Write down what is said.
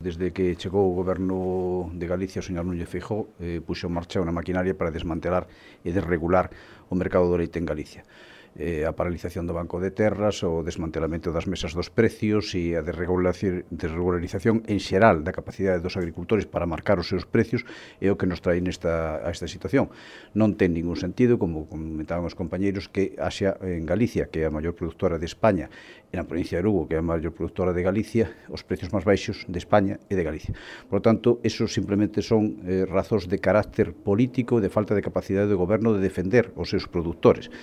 Desde que chegou o goberno de Galicia, o señor Núñez Feijóo, puxo en marcha unha maquinaria para desmantelar e desregular o mercado do leite en Galicia. A paralización do Banco de Terras, o desmantelamento das mesas dos precios e a desregularización en xeral da capacidade dos agricultores para marcar os seus precios é o que nos trae a esta situación. Non ten ningún sentido, como comentaban os compañeiros, que haxa en Galicia, que é a maior productora de España, e na provincia de Lugo, que é a maior productora de Galicia, os precios máis baixos de España e de Galicia. Por lo tanto, eso simplemente son razóns de carácter político e de falta de capacidade do goberno de defender os seus produtores.